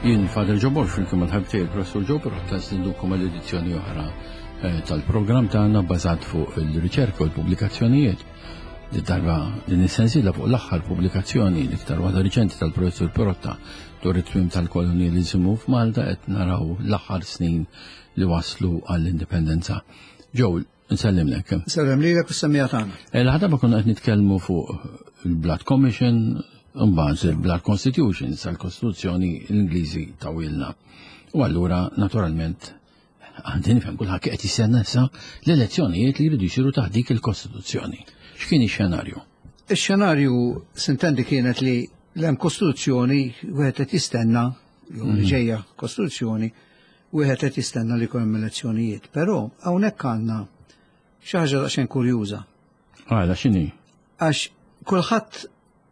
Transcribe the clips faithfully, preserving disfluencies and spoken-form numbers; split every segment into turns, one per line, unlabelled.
Jien Father Joe Borg flimkien mal-ħabib tiegħi il-Professur Joe Pirotta nistednukom għal edizzjoni oħra eh, tal-programm tagħna bbażat fuq il-riċerka u l-pubblikazzjonijiet. Darba din is-sensiela fuq l-aħħar pubblikazzjoni l-iktar waħda riċenti tal-Professur Pirotta dwar it-tmiem tal-kolonjaliżmu f'Malta qed naraw l-aħħar snin li waslu għall-indipendenza. Joe, nsellimlek.
Sellem lilek u s-semmiegħa tagħna.
Il-ħadaba konna qed nitkellmu fuq il-Blood Commission, mbagħad il-Blood Constitution, sal-Kostituzzjoni l-Ingliżi tawhielna. U allura naturalment għandi nifhem kulħadd qed jistenna issa l-elezzjonijiet li jridu jsiru taħt dik il-Kostituzzjoni. X'kien ix-xenarju?
Ix-xenarju sintendi kienet li l-hemm Kostituzzjoni wieħed qed jistenna, jew li ġejja Kostituzzjoni, wieħed qed jistenna li jkun hemm elezzjonijiet. Però hawnhekk għandna xi ħaġa daqsxejn kurjuża.
Għala x'inhi?
Għax kulħadd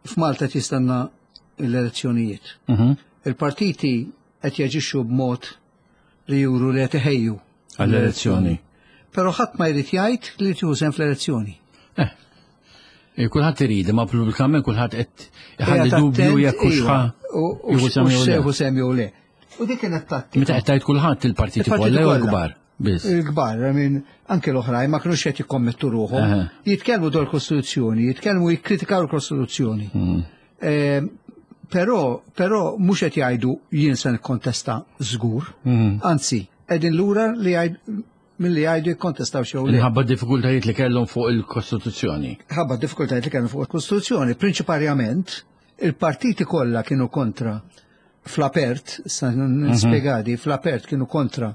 f'Malta qed jistenna l-elezzjonijiet.
Mhm.
Il-partiti qed jaġixxu b'mod li juru li qed iħejju
Għall-elezzjoni.
Però ħadd ma jrid jgħid li tieħu sehem fl-elezzjoni.
Eh, Kulħadd irid, ma pubblikament kulħadd qed iħalli
Qiegħed
dubju
attent,
jekk hux
iva,
ħa
u- u
jieħu sehem jew le.
se jieħu sehem jew le. U dik kienet tattika.
Meta qed tgħid kulħadd il-partiti
Il-partiti
kollha jew
kollha.
l-kbar biss.
Il-kbar, I mean, anke l-oħrajn ma kinux qed jikkommettu ruħhom.
Aha.
Jitkellmu dwar kostituzzjoni, jitkellmu jikkritikaw il-Kostituzzjoni.
Mm.
Eh, Però, però mhux qed jgħidu jien se nikkontesta żgur.
Mm.
Anzi, qegħdin lura li jgħid milli jgħidu jikkontestaw xew le.
Minħabba diffikultajiet li kellhom fuq il-Kostituzzjoni.
Ħabba diffikultajiet li kellhom fuq il-Kostituzzjoni. Prinċiparjament, il-partiti kollha kienu kontra fl-apert, sa nispjegadi, fl-apert kienu kontra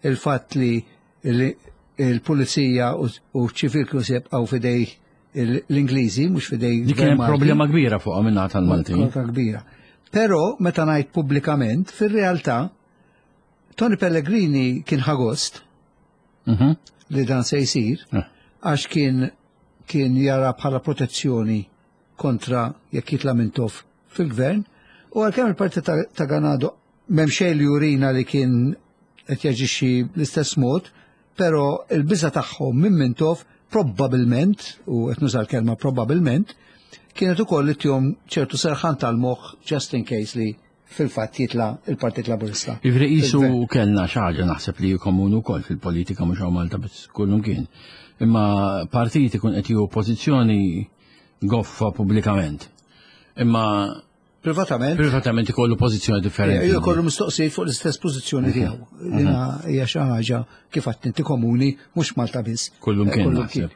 il-fatt li li il-pulizija u u ċivil kienu se jibqgħu f'idej l-Ingliżi, mhux f'idej
Dik kien
Malti.
problema kbira fuq minna tal-Maltin.
Kontra kbira. Però meta ngħid pubblikament, fir-realtà Tony Pellegrini kien ħa gost
Mhm.
li dan se jsir
Eh.
għax kien kien jara bħala protezzjoni kontra jekk jitla Mintoff fil-gvern u għalkemm il-partit ta', ta' Ganado m'hemm xejn li jurina li kien qed jaġixxi bl-istess mod, però il-biża tagħhom minn Mintoff probbabilment, u qed nuża l-kelma probbabilment, kienet ukoll li ttihom ċertu serħan tal-moħħ just in case li fil-fatt jitla il-Partit Laburista.
Ivri qisu
Fil-gvern.
kellna xi ħaġa naħseb li komuni wkoll fil-politika mhux hawn Malta biss kullum kien. Imma partit ikun qed jieħu pożizzjoni goffa pubblikament. Imma
Privatament,
privatament ikollu pożizzjoni differenti.
Jew kollu mistoqsijiet fuq l-istess pożizzjoni tiegħu. Dina hija xi ħaġa kif għedt inti komuni mhux Malta biss.
Kullum kien
Kullum
naħseb.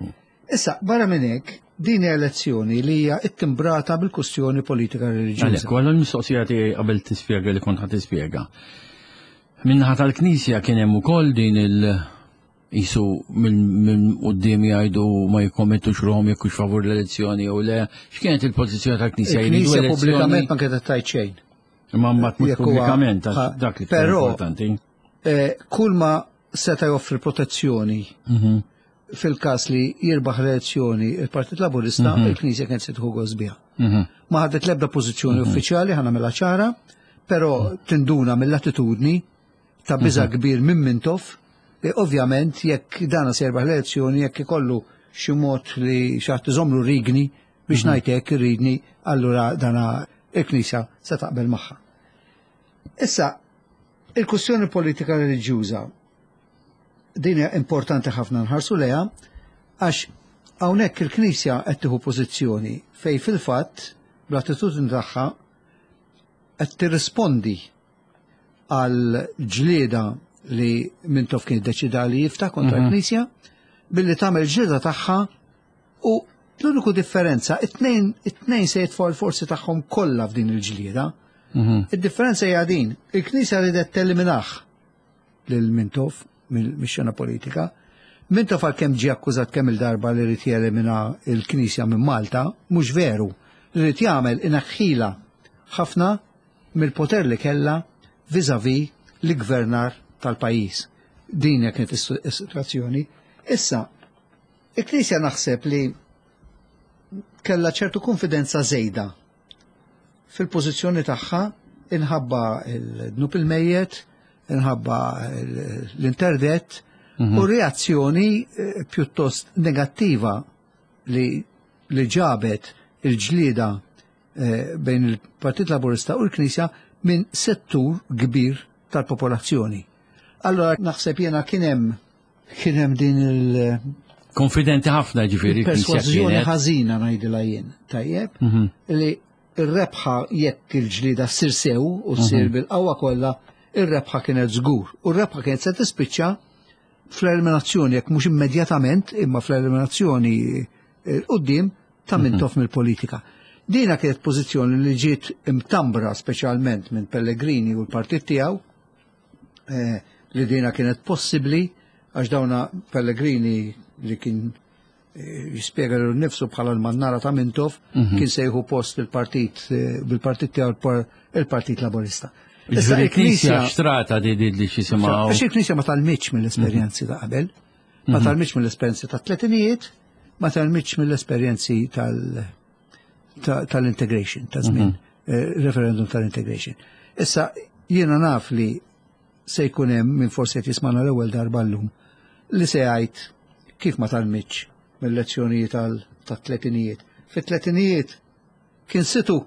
Issa, barra minn hekk, din hija elezzjoni li hija ittimbrata bil-kustjoni politika reliġjuża.
Għalhekk, għallu l-mistoqsija tiegħi qabel tispjega li kont ħa tispjega. Min-naħa tal-Knisja kien hemm ukoll din il- qisu minn min quddiem jgħidu ma jikkommettux ruħhom jekk hux favur l-elezzjoni jew le. X'kienet il-pożizzjoni tal-Knisja? Jridu
Il-Knisja
elezzjoni?
pubblikament ma kienet tgħid xejn.
Imma mbagħad mhux
Jekk huwa-
pubblikament għax
ha,
dak li iktar
però-
importanti.
Eh, Kull ma seta' joffri protezzjoni
Mhm.
fil-każ li jirbaħ l-elezzjoni il-Partit Laburista, il-Knisja kienet se tieħu gost biha.
Mhm.
Ma ħadet l-ebda pożizzjoni uffiċjali ħa nagħmilha ċara, però tinduna mill-attitudni ta' biża kbir minn Mintoff li ovvjament jekk dana se jirbaħ l-elezzjoni jekk ikollu xi mod li xi ħadd iżomlu rigni biex ngħid hekk irridni, allura dana il-Knisja se taqbel magħha. Issa, il-kwestjoni politika reliġjuża din hija importanti ħafna nħarsu lejha għax hawnhekk il-Knisja qed tieħu pożizzjoni fej fil-fatt bl-attitudni tagħha qed tirrispondi għal ġlieda li Mintoff kien iddeċida li jiftaħ kontra l-Knisja billi tagħmel ġlieda tagħha u l-uniku differenza it-tnejn it-tnejn se jitfgħu l-forzi tagħhom kollha f'din il-ġlieda.
Mhm.
Id-differenza hija din, il-Knisja ridet teliminah lil Mintoff mill-xena politika. Mintoff għalkemm ġie akkużat kemm il-darba li rid jelimina il-Knisja minn Malta, mhux veru. Li rid jagħmel inaħħila ħafna mill-poter li kellha vis-à-vis l-gvernar tal-pajjiż. Din hija kienet is-sitwazzjoni. Issa, il-Knisja naħseb li kellha ċertu konfidenza żejda fil-pożizzjoni tagħha inħabba il-dnub il-mejjet, inħabba l-interdett u reazzjoni eh, pjuttost negattiva li, li ġabet il-ġlieda eh, bejn il-Partit Laburista u l-Knisja minn settur kbir tal-popolazzjoni. Allora naħseb jiena kien hemm kien hemm din il-
Konfidenti ħafna ġifieri
persważjoni ħażina, ngħidilha jien, tajjeb,
Mhm.
li ir-rebħa, jekk il-ġlida ssir sew u ssir
Mhm.
bil-qawwa kollha, ir-rebħa kienet żgur. U r-rebħa kienet se tispiċċa fl-eliminazzjoni, jekk mhux immedjatament, imma fl-eliminazzjoni eh, quddiem ta' Mintoff mill-politika. Dina kienet pożizzjoni li ġiet imtambra speċjalment minn Pellegrini u l-partit tiegħu, eh, li dina kienet possibbli għax dawna Pellegrini, li kien eh, jispjega lil nifsu bħala l-mannara ta' Mintoff, kien se jieħu post il-partit eh, bil-partit tiegħu, il-par- il-Partit Laburista. Issa
Ġifieri il-Knisja
il-Knisja
xtrata di di li x'jisimgħu.
Għax il-Knisja ma tgħallmitx mill-esperjenzi ta' qabel, ma tgħallmitx mill-esperjenzi ta' tletinijiet, ma tgħallmitx mill-esperjenzi tal- ta- tal-integration, ta' żmien eh, referendum tal-integration. Issa jiena naf li se jkun hemm min forsi qed jismana l-ewwel darba llum li se jgħid kif ma tgħallmitx mill-lezzjonijiet tal-tletinijiet. Fit-tletinijiet kien situ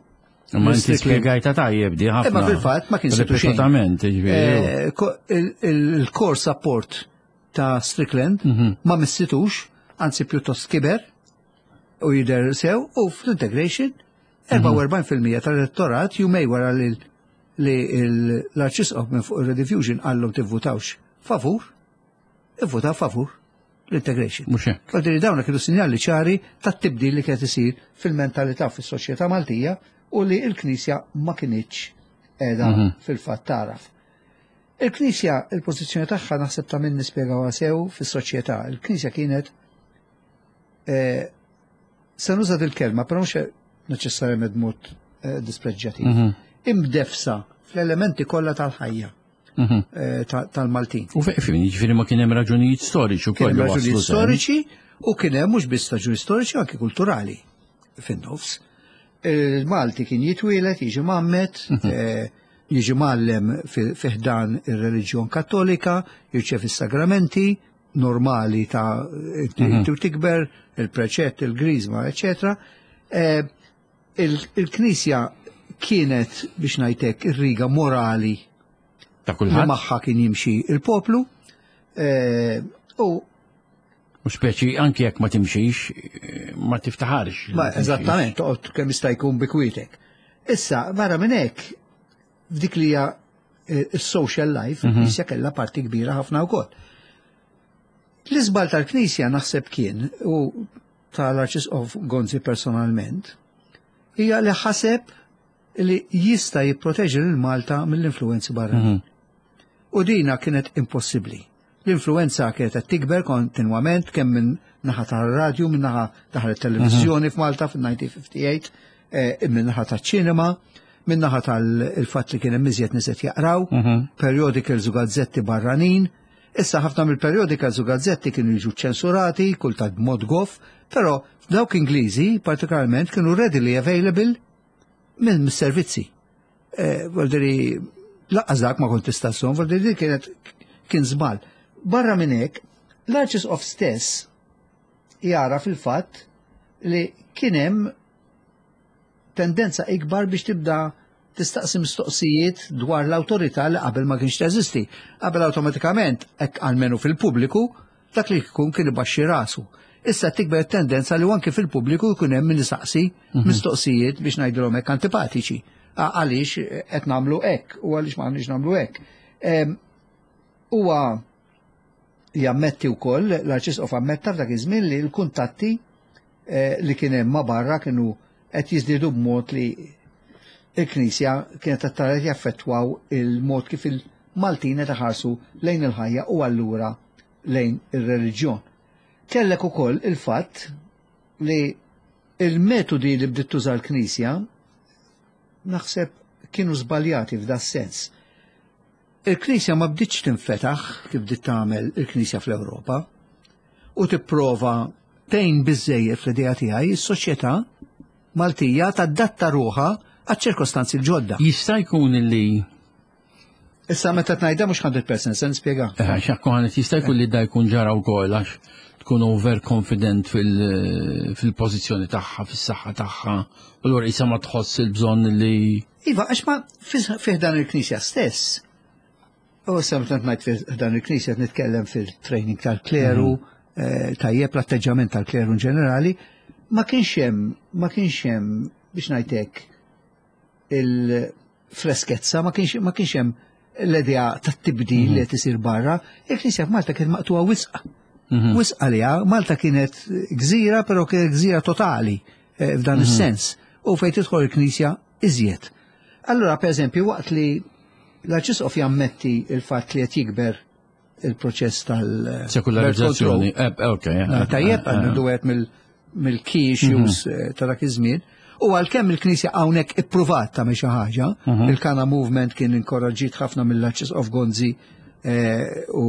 Ma inti
Strickland.
spjegajta tajjeb di ħafna.
Imma fil-fatt ma kien situ xejn.
Ripetutament, ġifieri.
Eh, ko- il- il- Il-core support ta' Strickland ma missitux, anzi pjuttost kiber u jider sew, u fl-integration erbgħa u erbgħin fil-mija tal-elettorat, jumejn wara li li l-Arċisqof minn fuq il-Rediffusion qallhom tivvutawx favur, ivvutaw favur l-integration.
Mhux hekk.
Għaldiri dawna kienu sinjali ċari tat-tibdil li kienet isir fil-mentalità fis-soċjetà Maltija u li l-Knisja ma kinitx qiegħda fil-fatt taraf. Il-Knisja, il-pożizzjoni tagħha naħseb ta' min nispjegawha sew fis-soċjetà. Il-Knisja kienet, eh, se nuża il-kelma, però mhux neċessarjament mod eh, dispreġġjativ. Imdefsa fl-elementi kollha tal-ħajja
Mhm.
eh, ta- tal-Maltin.
U fejn, ġifieri ma kien hemm raġunijiet storiċi
Kien
wkoll
hemm
li
raġunijiet
waslu sehem.
storiċi u kien hemm mhux biss raġunijiet storiċi, anke kulturali fin-nofs. Il-Malti kien jitwielet, jiġi mgħammed, eh, jiġi mgħallem fi fi ħdan ir-reliġjon Kattolika, jirċevi s-sagramenti normali ta' inti u tikber, il-preċett, il-griżma, eccetera. Eh, il- Il-Knisja kienet, biex ngħidlek, ir-riga morali
Ta'
li
kulħadd.
magħha kien jimxi il-poplu eh, u
U speċi anki jekk ma timxix, eh, ma tiftaħarx.
Ma eżattament, toqgħod kemm jista' jkun bikwitek. Issa, barra minn hekk, f'dik li hija eh, is-social life, il-Knisja kellha parti kbira ħafna wkoll. L-iżbal tal-Knisja naħseb kien, u tal-Arċisqof Gonzi personalment, hija li ħaseb li jista' jipproteġi lil Malta mill-influenzi barranin. U dina kienet impossibbli. L-influenza kienet qed tikber kontinwament, kemm minn naħa tar-radju, minn naħa taħ televiżjoni f'Malta fil-elf disa' mija u ħamsa u ħamsin, eh, minn naħa taċ-ċinema, minn naħa tal-fatt li kien hemm iżjed nies qed jaqraw, periodicals u gazzetti barranin. Issa ħafna mill-periodicals u gazzetti kienu jiġu ċensurati, kultant b'mod goff, però dawk Ingliżi partikolarment kienu readily available minn servizzi. Eh, Voldiri, lanqas dak ma kont tista' sson, voldiri kienet kien żball. Barra minn hekk, l-Arċisqof stess jara fil-fatt li kien hemm tendenza ikbar biex tibda tistaqsi mistoqsijiet dwar l-awtorità li qabel ma kienx teżisti. Qabel awtomatikament, hekk almenu fil-pubbliku, dak li jkun kien ibaxxi rasu. Issa tikber tendenza li anke fil-pubbliku jkun hemm min isaqsi mistoqsijiet, biex ngħidulhom hekk, antipatiċi. A- Għaliex qed nagħmlu hekk u għaliex ma għandniex nagħmlu hekk. Em, Huwa jammetti wkoll, l-Arċisqof ammetta f'dak iż-żmien li l-kuntatti eh, li kien hemm ma' barra kienu qed jiżdiedu b'mod li il-Knisja kienet qed tara jaffettwaw il-mod kif il-Maltin qed iħarsu lejn il-ħajja u allura lejn ir-reliġjon. Kellek ukoll il-fatt li il-metodi li bdiet tuża l-Knisja naħseb kienu żbaljati f'da sens. Il-Knisja ma bdietx tinfetaħ kif bdiet tagħmel il-Knisja fl-Ewropa u tipprova tgħin biżejjed, fl-idea tiegħi, is-soċjetà Maltija tadatta ruħha għaċ-ċirkostanzi l-ġodda.
Jista' jkun li
Issa meta tnajda mhux mija fil-mija, se nispjega.
Eh, xakku ħanet, jista' jkun li da jkun ġara wkoll għax tkun overconfident fil-pożizzjoni tagħha, fis-saħħa tagħha, u allura isa ma tħoss il-bżonn li.
Iva, għax ma fih dan il-Knisja stess. U issa meta ngħid fih dan il-Knisja, nitkellem fil-training tal-kleru, mhm. eh, tajjeb, l-atteġġament tal-kleru in ġenerali, ma kienx hemm, ma kienx hemm, biex ngħidlek, il-freskezza, ma kienx ma kienx hemm l-idea tat-tibdil li qed isir barra. Il-Knisja f'Malta kienet maqtuha wisq. Mhm. Wisq għaliha, Malta kienet gżira, però kienet gżira totali eh, f'dan mhm. is-sens. U fejn tidħol il-Knisja iżjed. Allura, per eżempju, waqt li l-Arċisqof jammetti il-fatt li qed jikber il-proċess tal-
Sekularizzazzjoni. Eh, ok.
Eh, tajjeb, għandu għed mill-key issues mhm. ta' dak iż-żmien. U għalkemm il-Knisja hawnhekk ippruvat tagħmel xi ħaġa, il-Kana Movement kien inkoraġġit ħafna mill-Arċisqof Gonzi u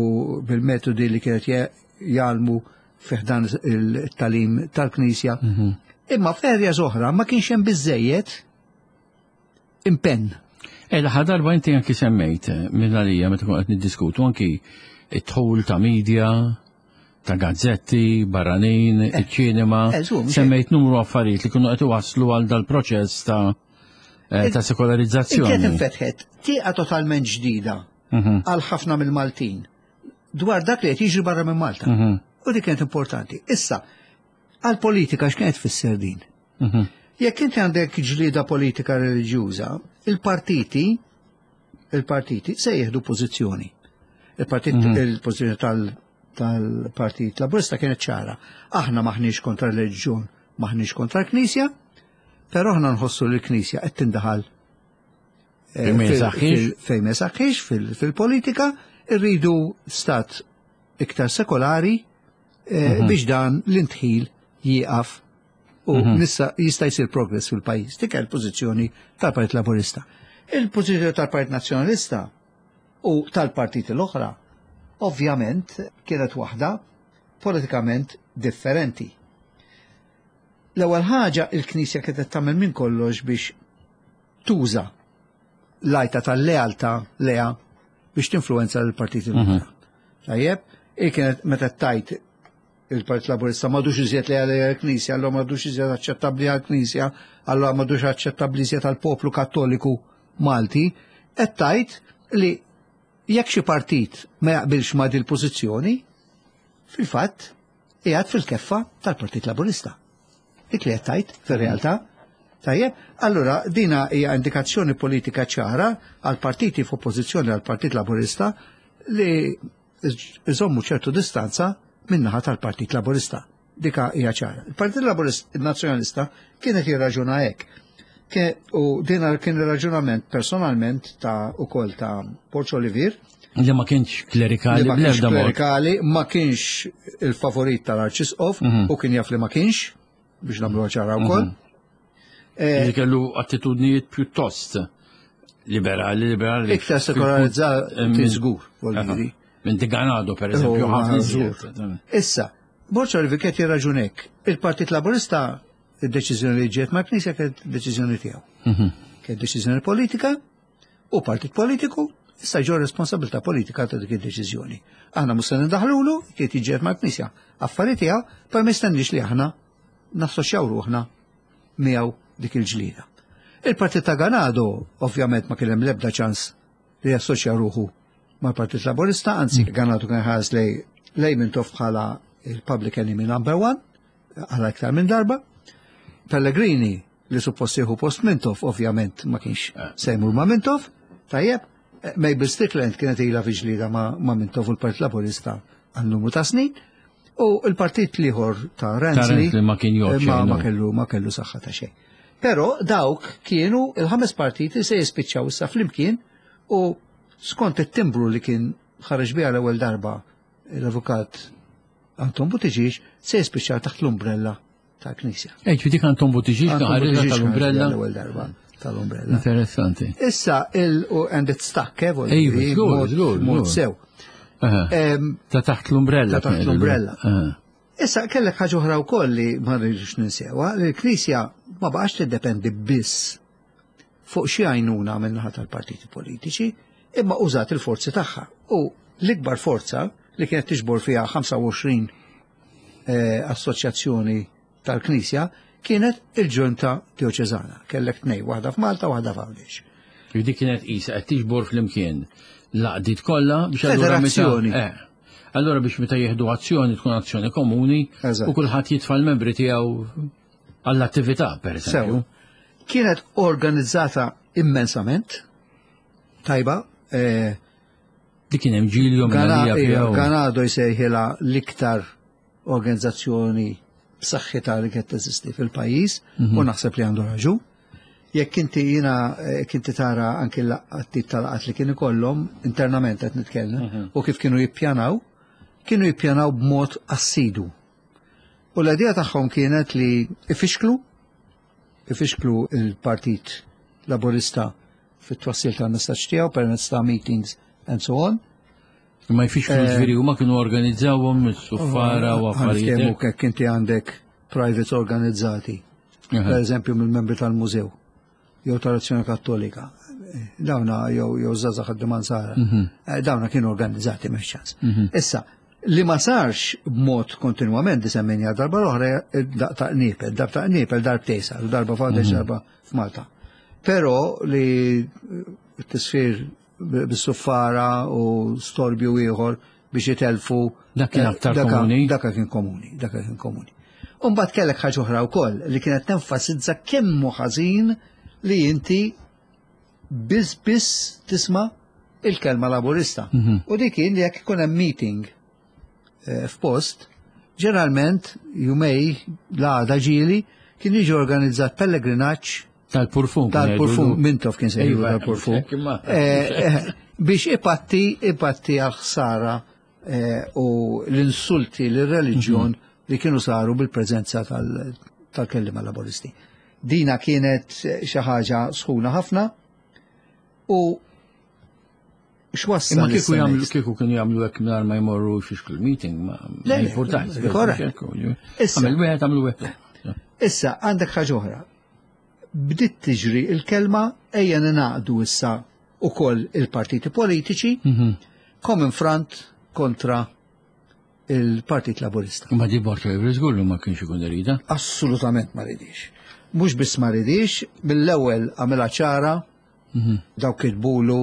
bil-metodi li kienet jgħallmu fih dan il-tagħlim tal-Knisja. Mhm. Imma f'areas oħra ma kienx hemm biżejjed impenn.
E l darba inti anki semmejt eh, minn għalija meta kont qed niddiskutu anki it-dħul ta' media, ta' gazzetti, barranin, eh, iċ-ċinema, eh, semmejt numru affarijiet li kienu qed iwasslu għal dal-proċess ta' ta' sekolarizzazzjoni.
Kienet infetħet tieqa totalment ġdida mhm. għal ħafna mill-Maltin dwar dak li qed jiġri barra minn Malta. Mhm. U dik kienet importanti. Issa, għal-politika x'kienet tfisser din? Mhm. Jekk inti għandek ġlida politika reliġjuża, il-partiti il-partiti se jieħdu pożizzjoni. Il-partit mhm. il-pożizzjoni tal-Partit Laburista kienet ċara. Aħna maħniex kontra l-reliġjon, maħniex kontra l-Knisja, però aħna nħossu li l-Knisja qed tindaħal
eh,
fejn ma saħħix fil-politika, irridu stat iktar sekolari eh, mhm. biex dan l-indħil jieqaf u mhm. nissa jista' jsir progress fil-pajjiż. Dik il-pożizzjoni tal-Partit Laburista. Il-pożizzjoni tal-Partit Nazzjonalista u tal-partiti l-oħra ovvjament kienet waħda politikament differenti. L-ewwel ħaġa, il-Knisja kienet tagħmel minn kollox biex tuża l-għajta tal-lealtà lejha biex tinfluenza l-partiti l-oħra. Mhm. Tajjeb, il kienet meta tajt il-Partit Laburista m'għadux iżjed leali għall-Knisja, allura m'għadux iżjed aċċettabbli għall-Knisja, allura m'għadux aċċettabbli iżjed għall-poplu Kattoliku Malti, qed tajt li jekk xi partit ma jaqbilx ma' dil pożizzjoni, fil-fatt qiegħed fil-keffa tal-Partit Laburista. Dik li qed tajt fir-realtà. Tajjeb, allura dina hija indikazzjoni politika ċara għal partiti f'oppożizzjoni għal Partit Laburista li iżommu ċertu distanza min-naħa tal-Partit Laburista. Dika hija ċara. Il-Partit Laburista Nazzjonalista kienet jirraġuna hekk. U dina kien ir-raġunament personalment ta' ukoll ta' Borg Olivier.
Li ma kienx klerikali.
Li ma kienx klerikali, ma kienx il-favorit tal-Arċisqof mhm. u kien jaf li ma kienx, biex nagħmlu ċara wkoll.
Mhm. Eh, li kellu attitudnijiet pjuttost liberali, liberali.
Iktar sekolarizzati żgur, vuol
Minn De Ganado, per eżempju, ħafna iżjed.
Issa, Borg Olivier kien jirraġunek. Il-Partit Laburista, id-deċiżjoni li ġiet ma' Knisja kienet deċiżjoni tiegħu. Mhm. Kienet deċiżjoni politika u partit politiku issa ġo responsabilità politika ta' dik id-deċiżjoni. Aħna mhux se nindaħlulu, kienet jiġġieled mal-Knisja. Affari tiegħu, per ma jistennix li aħna nassoċjaw ruħna miegħu dik il-ġlida. Il-Partit ta' Ganado, ovvjament, ma kien hemm l-ebda ċans li jassoċja ruħu mal-Partit Laburista, anzi mm. Ganado kien ħares lejn lejn Mintoff bħala il-public enemy number one, għala iktar minn darba. Pellegrini, li suppost jieħu post Mintoff, ovvjament ma kienx eh. se jmur ma' Mintoff, tajjeb, eh, Mabel Strickland kienet ilha fi ġlida ma', ma Mintoff u l-Partit Laburista għal numru ta' snin, u l-partit l-ieħor ta' Ransley
ma kien
eh, ma, ma kellu ma kellu saħħa ta' xejn. Però dawk kienu il-ħames partiti se jispiċċaw issa flimkien u skont it-timbru li kien ħareġ biha l-ewwel darba l-avukat Anton Buttigieg se jispiċċaw taħt l-umbrella tal-Knisja.
Ej, dik Anton Buttigieg kien ħareġ tal-umbrella.
L-ewwel darba tal-umbrella.
Interessanti.
Issa, il and it stuck, eh,
Ej, żgur,
mod sew.
Ta' taħt l-umbrella.
Ta' taħt l-umbrella. Issa kellek ħaġa oħra wkoll li ma rridux ninsewha, li l-Knisja ma baqax tiddependi biss fuq xi għajnuna min-naħa tal-partiti politiċi, imma użat il-forzi tagħha. U l-ikbar forza li kienet tiġbor fiha ħamsa u għoxrin eh, assoċjazzjoni tal-Knisja kienet il-Ġunta Dioċeżana. Kellek tnejn, waħda f'Malta, waħda f'Għawdex.
Dik kienet qisha qed tiġbor flimkien l-għaqdiet kollha biex allura meta
Federazzjoni.
Eh, allura biex meta jieħdu azzjoni tkun azzjoni komuni
Eżatt.
u kulħadd jitfa' l-membri tiegħu għall-attività, per eżempju.
Sew. Kienet organizzata immensament, tajba, eh,
Dik kien hemm Ġilju
Gana-
minn
eh, Ganado jsejħilha l-iktar organizzazzjoni b'saħħitha li kienet teżisti fil-pajjiż u naħseb li għandu raġun. Jekk inti jiena jekk inti tara anki l-tip tal-laqgħat li kien ikollhom internament qed nitkellem u kif kienu jippjanaw, kienu jippjanaw b'mod assidu. U l-idea tagħhom kienet li ifixklu ifixklu il-Partit Laburista fit-twassil tal-messaġġ tiegħu permezz ta' meetings and so on.
Ma jfixklu
Eh,
ġifieri huma kienu organizzawhom is-suffara u affarijiet.
Ħa niftehmu kek inti għandek privates organizzati, per eżempju mill-membri tal-mużew, jew tal-Azzjoni Kattolika, dawna jew jew żgħażagħ ħaddiema Nsara, eh, dawna kienu organizzati mhux ċans. Issa, li ma sarx b'mod kontinwament disemminja darba l-oħra daq ta' qniepel, darba ta' qniepel darbtejn sar, darba f'Għawdex, darba f'Malta. Però li t-tisfir bis-suffara u storbju ieħor biex jitelfu.
Dak kien aktar
Daka-
komuni?
Daka kien komuni, daka kien komuni. Umbagħad kellek ħaġa oħra wkoll li kienet tenfasizza kemm hu ħażin li inti biss biss tisma' il-kelma Laburista. U dik kien li jekk ikun hemm meeting eh, f'post, ġeneralment jumejn l-għada ġieli kien jiġi organizzat pellegrinaġġ
Tal-purfum.
tal-purfum, Mintoff kien sejħu
Iva,
tal-purfum.
hekk imma.
Eh, eh, biex ipatti, ipatti għal-ħsara eh, u l-insulti l-reliġjon li kienu saru bil-preżenza tal- tal-kellima Laburisti. Dina kienet xi ħaġa sħuna ħafna u x'wassal
Imma kieku
issa
jagħmlu
next?
kieku kienu jagħmlu hekk mingħajr ma jmorru xi meeting ma
Le,
ma
le,
jimpurtax.
korrekt. Issa.
Għamel wieħed għamlu wieħed.
Issa, għandek ħaġa oħra. Bdiet tiġri il-kelma ejja ningħaqdu issa ukoll il-partiti politiċi Common Front kontra il-Partit Laburista.
Ma di Borg żgur li ma kienx ikun irida.
Assolutament ma ridix. Mhux biss ma ridix, mill-ewwel għamilha ċara, dawk kitbulu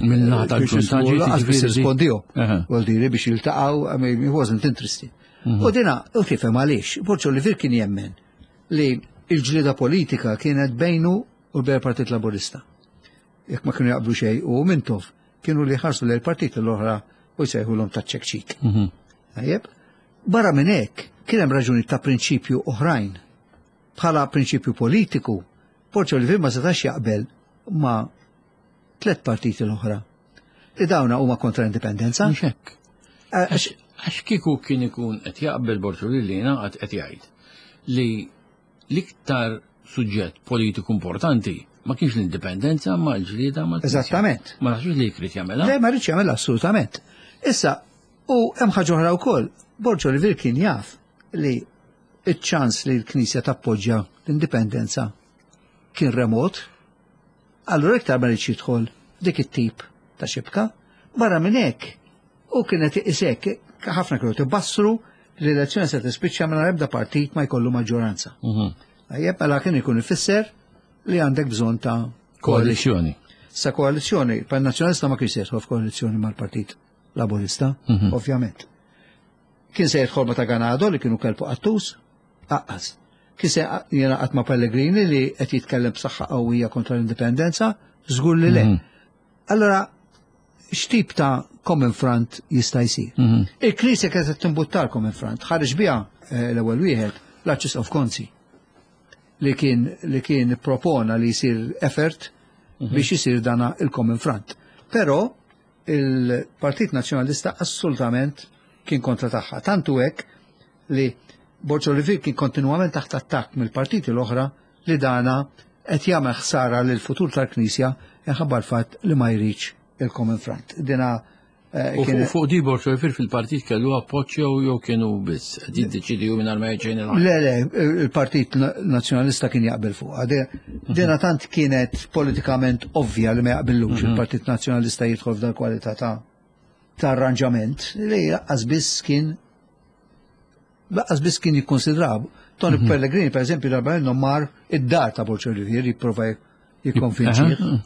Mill-naħa
biex
tal-ġunta
jisbulu,
ġiet
lanqas biss
jiġifieri di-
irrispondihom.
Aha.
Vuol dire biex jiltaqgħu, I mean, he wasn't interested. U dina, u tifhem għaliex, Borg Olivier kien jemmen li il-ġlieda politika kienet bejnu u bejn Partit Laburista. Jekk ma kienu jaqblu xejn u Mintoff kienu li ħarsu lejn partit l-oħra u jsejħulhom ta' ċekċik. Tajjeb? Barra minn hekk kien hemm raġuni ta' prinċipju oħrajn. Bħala prinċipju politiku, Borg Olivier ma setax jaqbel ma' tlet partiti l-oħra. Li dawna huma kontra l-indipendenza.
Mhux hekk.
Għax
Għax kieku kien ikun qed jaqbel Borg li jingħaqad qed jgħid li l-iktar suġġett politiku importanti ma kienx l-indipendenza ma l-ġlieda ma
Eżattament.
Ma naħsibx li jrid jagħmilha.
Le, ma rridx jagħmel assolutament. Issa, u hemm ħaġa oħra wkoll, Borg Olivier kien jaf li iċ-ċans li l-Knisja tappoġġja l-indipendenza kien remot, allura iktar ma rridx jidħol dik it-tip ta' xibka. Barra minn hekk, u kienet isek, ħafna kienu tibassru li l-elezzjoni se tispiċċa minn ebda partit ma jkollu maġġoranza.
Mhm.
Tajjeb, mela kien ikun ifisser li għandek bżonn ta'
Koalizzjoni.
Sa koalizzjoni, pan nazzjonalista ma kienx se jidħol f'koalizzjoni mal-Partit Laburista, ovvjament. Kien se jidħol ma ta' Ganado li kienu kelbu qattus, aqqas. Kien se jingħaqad ma' Pellegrini li qed jitkellem b'saħħa qawwija kontra l-indipendenza, żgur li le. Allora, x'tip ta' Common Front jista' jsir? Il-Knisja kienet qed timbuttar Common Front, ħareġ biha eh, l-ewwel wieħed l-Arċisqof Gonzi li kien li kien propona li jsir effort biex jisir dana il-Common Front. Però il-Partit Nazzjonalista assolutament kien kontra tagħha. Tantu hekk li Borg Olivier kien kontinwament taħt attakk mill-partiti l-oħra li dana qed jagħmel ħsara lil futur tal-Knisja minħabba l-fatt li ma jridx il-Common Front. Dina eh,
U
kien
fuq- fuq di Borg Olivier fil-partit kellu appoġġ jew jew kienu biss qed jiddeċidu mingħajr ma jgħid il
Le, le, il-Partit Nazzjonalista kien jaqbel fuqha. Dina tant kienet politikament ovvja li ma jaqbillux il-Partit Nazzjonalista jidħol f'dal kwalità ta' ta' arranġament li lanqas biss kien Lanqas biss kien jikkonsidraw. Tony mm -hmm. Pellegrini, per eżempju, darba minnhom mar id-dar ta' Borg Olivier jipprova jikkonvinċih.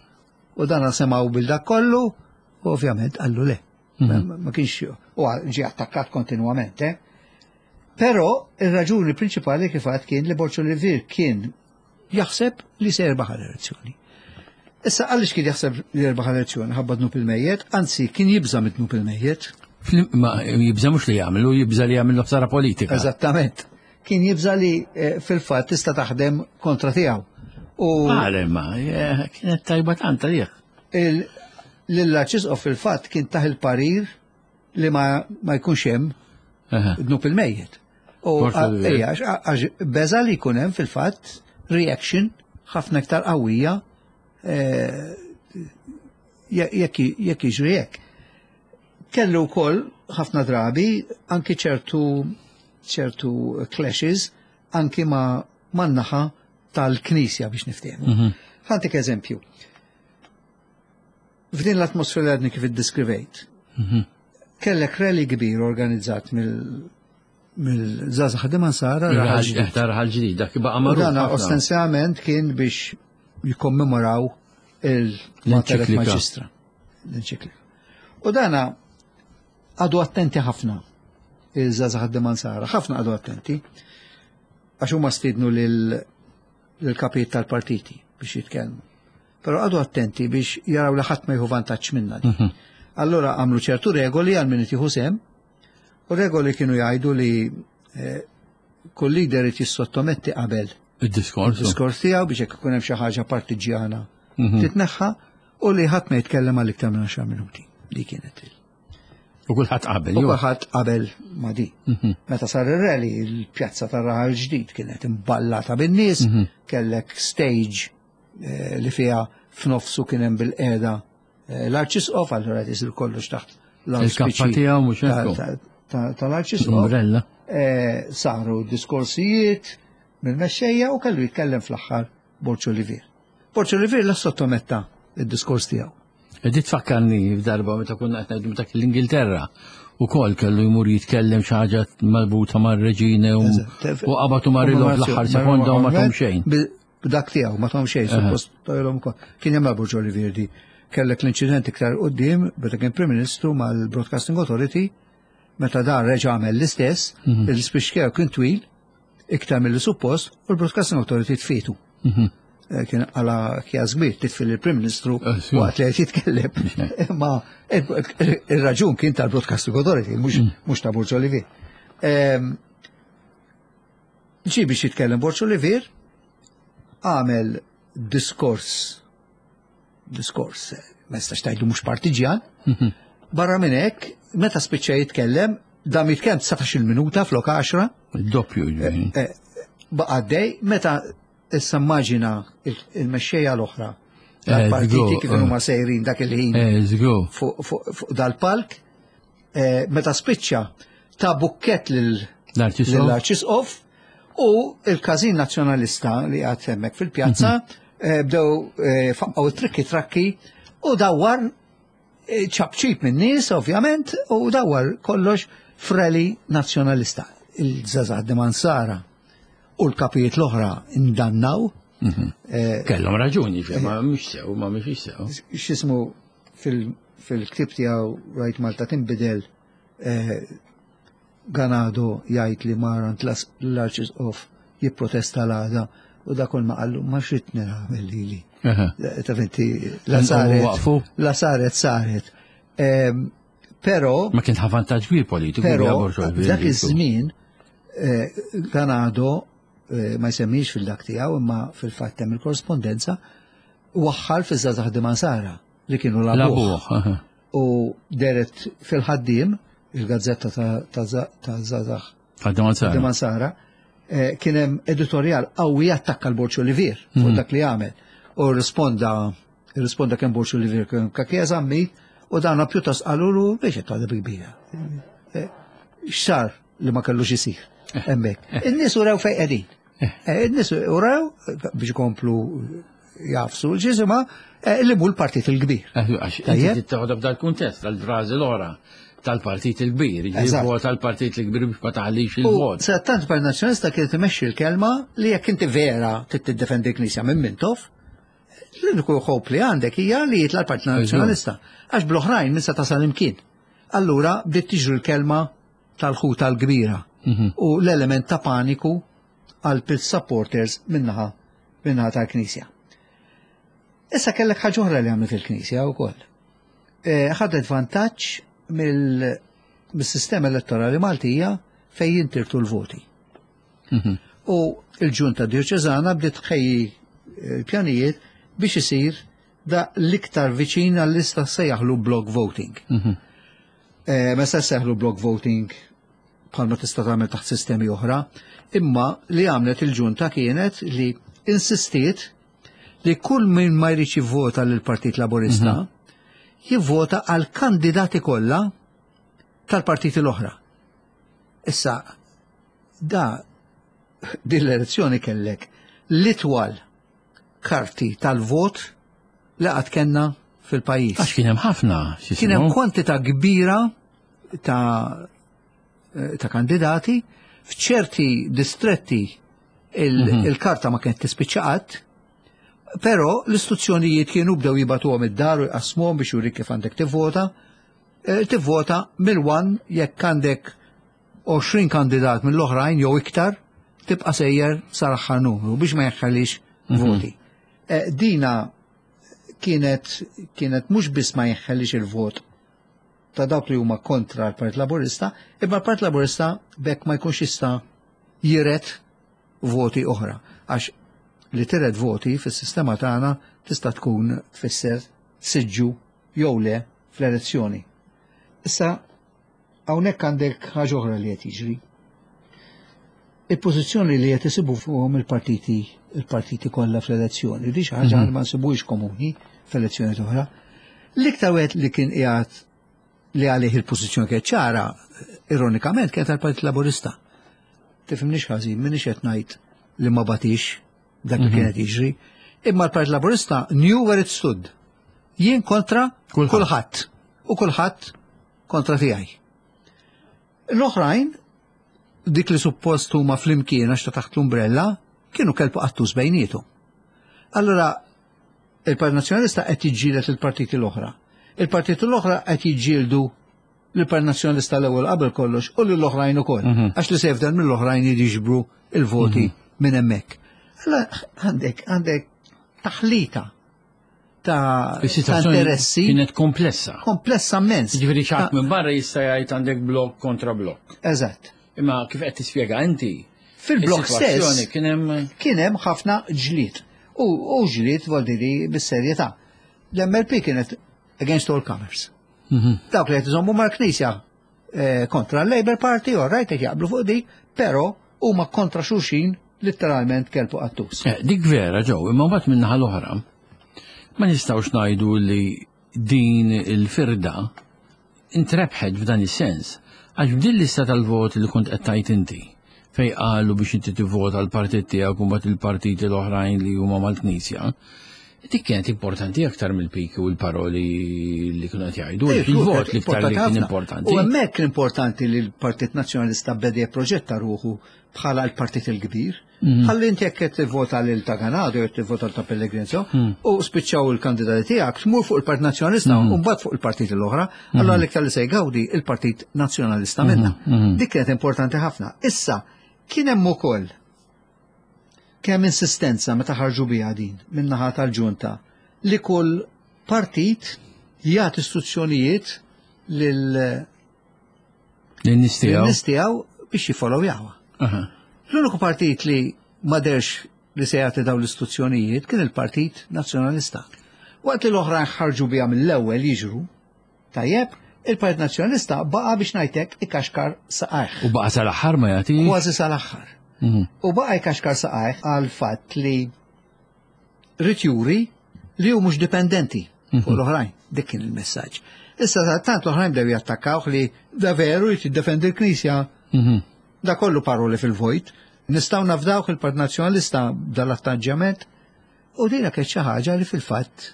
U dan semgħu bil-dak kollu, u ovvjament qallu le. Mm -hmm. Ma kienx, u ġie attakkat kontinwament, eh? Però ir-raġuni prinċipali kif għad kien li Borg Olivier kien jaħseb li se jirbaħ l-elezzjoni. Issa għaliex kien jaħseb li jirbaħ l-elezzjoni ħabba dnub il-mejjet, anzi kien jibża mid-dnub il-mejjet.
Ma jibża mhux li jagħmlu, jibża li jagħmlu ħsara politika.
Eżattament. Kien jibża li eh, fil-fatt tista' taħdem kontra tiegħu.
U Għale ma, eh, kienet tajba tant għalih.
L-Arċisqof fil-fatt kien taħ il-parir li ma, ma jkunx hemm dnub il-mejjet. U għax beża li jkun hemm fil-fatt reaction ħafna iktar qawwija eh, jekk jiġri hekk. Kellu wkoll ħafna drabi anki ċertu ċertu clashes anki ma man-naħa tal-Knisja biex niftehmu. Mm -hmm. Ħa ntik eżempju. F'din l-atmosfera li għadni kif iddiskrivejt, mm -hmm. kellek rally kbir organizzat mill mill-Żgħażagħ Ħaddiema Nsara
Raħal Ġdid, dak baqa' magħruf.
Dan ostensivament kien biex jikkommemoraw il-Mater Magistra. L-enċiklika. U dana għadu attenti ħafna il-Żgħażagħ Ħaddiema Nsara, ħafna għadu attenti, għax huma stidnu lil-kapijiet tal-partiti biex jitkellmu. Però għadu attenti biex jaraw li ħadd ma jieħu vantaġġ minna. Mhm. Allora għamlu ċertu regoli għal min jieħu sehem, u regoli kienu jgħidu li eh, kull leader jissottometti qabel
il-diskors
il-diskors tiegħu biex jekk ikun hemm xi ħaġa partiġjana mhm. titneħħa u li ħadd ma jitkellem għal iktar minn għaxar minuti. Li kienet il.
U kulħadd qabel.
U kulħadd qabel ma di. Mhm. Meta sar ir-rally, il-pjazza tar-Raħal Ġdid kienet imballata bin-nies, mhm. kellek stage eh, li fiha f'nofsu kien hemm bil-qiegħda eh, l-Arċisqof, allura qed isir kollox taħt
l-kappa tiegħu mhux
tal-Arċisqof.
Umbrella.
Eh, saru diskorsijiet mill-mexxejja u kellu jitkellem fl-aħħar Borg Olivier. Borg Olivier la sottometta id-diskors tiegħu.
Di tfakkarni f'darba meta konna qed ngħidu meta l-Ingilterra ukoll kellu jmur jitkellem xi ħaġa marbuta mar-reġine u qabatu marilhom fl-aħħar sekonda u ma tahom xejn.
B'dak tiegħu ma tahom xejn, suppost tajlhom ukoll. Kien hemm Borg Olivier di. Kellek l-inċident iktar quddiem meta kien Prim Ministru mal-Broadcasting Authority meta dan reġa' għamel l-istess, mhm. il-speech tiegħu kien twil, iktar mill suppost, u l-Broadcasting Authority tfietu. Mhm. Eh, kien għala kjas kbir titfil il-Prim Ministru eh, waqt li qed jitkellem. Ma il-raġun kien tal-Broadcasting Authority, mhux mm. ta' Borg Olivier. Ehm, ġi biex jitkellem Borg Olivier, għamel diskors, diskors, ma jistax tgħidlu mhux partiġjan, mhm. barra minn hekk, meta spiċċa jitkellem, dam jitkellem dsatax-il minuta flok għaxra.
Doppju.
Eh, baqa' għaddej, meta issa immaġina il-mexxejja l-oħra tal-partiti kif huma sejrin dak il-ħin fuq dal-palk, meta spiċċa ta' bukket lill-Arċisqof u il-każin nazzjonalista li għad hemmhekk fil-pjazza bdew faqqgħu trikki trakki u dawwar ċapċip minn nies ovvjament u dawwar kollox f'rally nazzjonalista. Il-Żgħażagħ Ħaddiema Nsara u l-kapijiet l-oħra indannaw.
Mhm. Eh, Kellhom raġuni, ma mhux sew, ma mhux sew.
X'ismu fil-ktib tiegħu Rajt Malta tinbidel eh, Ganado jgħid li mar għand l-Arċisqof jipprotesta l-għada u da kull ma qallu ma xrid nagħmel lili. Ta' finti la saret la saret saret. Però
ma kien vantaġġ kbir politiku.
Però dak iż-żmien eh, Ganado eh, ma jsemmix fil-dak tiegħu imma fil-fatt hemm il-korrespondenza waħħal fiż-Żgħażagħ Ħaddiema Nsara li kienu labuh. U deret fil-ħaddiem il-gazzetta ta' Żgħażagħ Ħaddiema Nsara eh, kien hemm editorjal qawwi attakka l-Borg Olivier fuq mhm. dak li għamel. U risponda risponda kemm Borg Olivier kemm Cachia Zammit u dana pjuttost qalulu biex qed tagħdeb kbira. Eh, x'sar li ma kellux isir eh. hemmhekk. In-nies urew fejn qegħdin. In-nies urew biex ikomplu jafsu l-ġisima li mhu l-partit il-kbir.
Għax inti tieħodha f'dal kuntest, għal-frażi l-oħra tal-partit il-kbir, vota tal-partit il-kbir biex ma taħlix il-vot.
Sadattant Partit Nazzjonalista kienet imexxi l-kelma li jekk inti vera trid tiddefendi l-Knisja minn Mintoff, l-uniku hope li għandek hija li jitla' l-Partit Nazzjonalista. Għax bl-oħrajn minn se tasal imkien. Allura bdiet tiġri l-kelma tal-ħuta l-kbira u l-element ta' paniku għal supporters minnaħa minnaħa tal-Knisja. Issa kellek ħaġa oħra li għamlet il-Knisja wkoll. Ħadet vantaġġ mill-sistema elettorali Maltija fejn jintirtu l-voti. U il-ġunta dioċeżana bdiet tħejji pjanijiet biex isir da l-iktar viċin għall-lista sejjaħlu block voting. Ma se sejjaħlu block voting bħalma tista' tagħmel taħt sistemi oħra, imma li għamlet il-ġunta kienet li insistiet li kull min ma jridx jivvota lill-Partit Laburista jivvota għal kandidati kollha tal-partiti l-oħra. Issa, da din l-elezzjoni kellek l-itwal karti tal-vot li qatt kellna fil-pajjiż.
Għax kien hemm ħafna.
Kien hemm kwantità kbira ta' ta' kandidati f'ċerti distretti il-karta ma kienet tispiċċa qatt, però l-istituzzjonijiet kienu bdew jibatuhom id-dar u jqasmuhom biex jurik kif għandek tivvota. Tivvota mill-one jekk għandek għoxrin kandidat mill-oħrajn jew iktar, tibqa' sejjer sal-aħħar numru biex ma jeħħalix voti. Dina kienet kienet mhux biss ma jeħħalix il-vot ta' dawk li huma kontra l-Partit Laburista, imma l-Partit Laburista bekk ma jkunx jista' jiret voti oħra. Għax li tiret voti fis-sistema tagħna tista' tkun tfisser siġġu jew le fl-elezzjoni. Issa hawnhekk għandek ħaġa oħra li qed jiġri. Il-pożizzjoni li qed isibu fuqhom il-partiti il-partiti kollha fl-elezzjoni, di xi ħaġa li ma nsibuhiex komuni fl-elezzjoni oħra. L-iktar wieħed li kien qiegħed li għalih il-pożizzjoni kienet ċara, ironikament, kienet tal-Partit Laburista. Tifhimniex ħażin, m'iniex qed ngħid li ma batix dak li kienet jiġri, imma l-Partit Laburista knew where it stood. Jien kontra kulħadd u kulħadd kontra tiegħi. L-oħrajn, dik li suppost huma flimkien għax ta' taħt l-umbrella, kienu kelbu qattus bejnietu. Allora, il-Partit Nazzjonalista qed jiġġieled il-partiti l-oħra. Il-partiti l-oħra qed jiġġieldu l-Partit Nazzjonalista l-ewwel qabel kollox u lill-oħrajn ukoll. Għax li se jifdal mill-oħrajn jiġbru il-voti minn hemmhekk. Allora għandek għandek taħlita ta' interessi.
Kienet komplessa.
Komplessa immens.
Ġifieri xi ħadd minn barra jista' jgħid għandek blok kontra blok.
Eżatt.
Imma kif qed tispjega inti,
fil-blok stess
kien hemm
kien hemm ħafna ġlied. U ġlied voldiri bis-serjetà. L-M L P kienet against all comers. Dawk li qed iżommu mal-Knisja kontra l-Labour Party, all right, qed jaqblu fuq dik, però huma kontra xulxin literalment kelbu qattus.
Dik vera ġew, imma mbagħad min-naħa l-oħra ma nistgħux ngħidu li din il-firda intrebħet f'dan is-sens. Għax b'din lista tal-vot li kont qed tgħid inti, fej qalu biex inti tivvota l-partit tiegħek u mbagħad il-partiti l-oħrajn li huma mal-Knisja, dik kienet importanti aktar mill-piki u l-paroli li kienu qed jgħidu, il-vot l-iktar li kien importanti.
U hemmhekk l-importanti li l-Partit Nazzjonalista beda jipproġetta ruħu bħala l-partit il-kbir. Ħalli inti jekk qed tivvota lil ta' Ganado jew tivvota ta' Pellegrini u spiċċaw il-kandidati tiegħek tmur fuq il-Partit Nazzjonalista u mbagħad fuq il-partiti l-oħra, allura l-iktar li se jgawdi il-Partit Nazzjonalista minnha. Dik kienet importanti ħafna. Issa kien hemm ukoll kemm insistenza meta ħarġu biha din min-naħa tal-ġunta li kull partit jagħti istruzzjonijiet lil
lin-nies
tiegħu biex jifollowjawha. L-uniku partit li ma derx li se jagħti dawn l-istruzzjonijiet kien il-Partit Nazzjonalista. Waqt li l-oħrajn ħarġu biha mill-ewwel jiġru, tajjeb, il-Partit Nazzjonalista baqa' biex ngħidlek ikaxkar saqajh.
U baqa' sal-aħħar ma jagħti?
Kważi sal-aħħar. U baqa' jkaxkar saqajh għal fatt li rid juri li hu mhux dipendenti fuq l-oħrajn. Dik kien il-messaġġ. Issa tant l-oħrajn bdew jattakkawh li da veru jrid jiddefendi l-Knisja. Da kollu paroli fil-vojt. Nistgħu nafdawh il-Partit Nazzjonalista dal-attaġġjament. U dina kienet xi ħaġa li fil-fatt